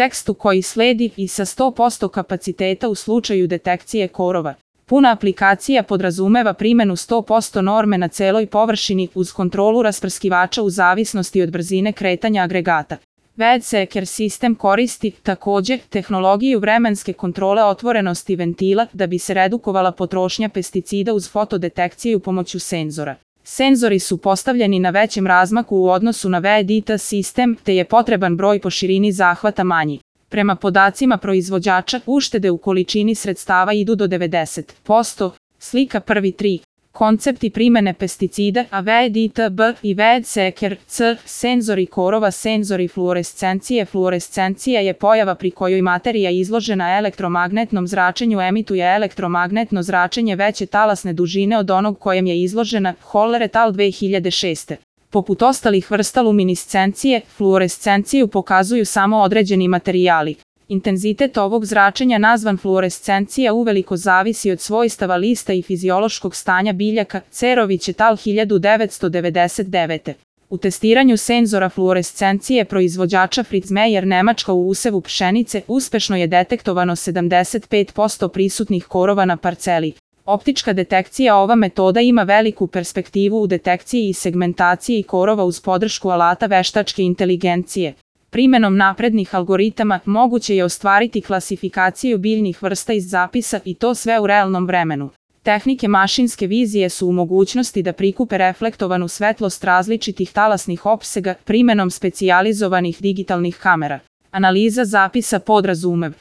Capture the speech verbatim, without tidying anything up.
tekstu koji sledi i sa sto posto kapaciteta u slučaju detekcije korova. Puna aplikacija podrazumeva primenu sto posto norme na celoj površini uz kontrolu rasprskivača u zavisnosti od brzine kretanja agregata. WeatherSeeker sistem koristi, takođe, tehnologiju vremenske kontrole otvorenosti ventila da bi se redukovala potrošnja pesticida uz fotodetekciju pomoću senzora. Senzori su postavljeni na većem razmaku u odnosu na WeatherData sistem, te je potreban broj po širini zahvata manji. Prema podacima proizvođača, uštede u količini sredstava idu do devedeset posto. Slika prvi tri. Koncepti primene pesticida, a WeatherData B i WeatherSeeker C, senzori korova, senzori fluorescencije. Fluorescencija je pojava pri kojoj materija izložena elektromagnetnom zračenju emituje elektromagnetno zračenje veće talasne dužine od onog kojem je izložena. Holler et al. dve hiljade šeste. Poput ostalih vrsta luminiscencije, fluorescenciju pokazuju samo određeni materijali. Intenzitet ovog zračenja nazvan fluorescencija uveliko zavisi od svojstava lista i fiziološkog stanja biljaka. Cerović et al. hiljadu devetsto devedeset devete. U testiranju senzora fluorescencije proizvođača Fritz Meyer Nemačka u usevu pšenice uspešno je detektovano sedamdeset pet posto prisutnih korova na parceli. Optička detekcija. Ova metoda ima veliku perspektivu u detekciji i segmentaciji korova uz podršku alata veštačke inteligencije. Primenom naprednih algoritama moguće je ostvariti klasifikaciju biljnih vrsta iz zapisa i to sve u realnom vremenu. Tehnike mašinske vizije su u mogućnosti da prikupe reflektovanu svetlost različitih talasnih opsega primenom specijalizovanih digitalnih kamera. Analiza zapisa podrazumev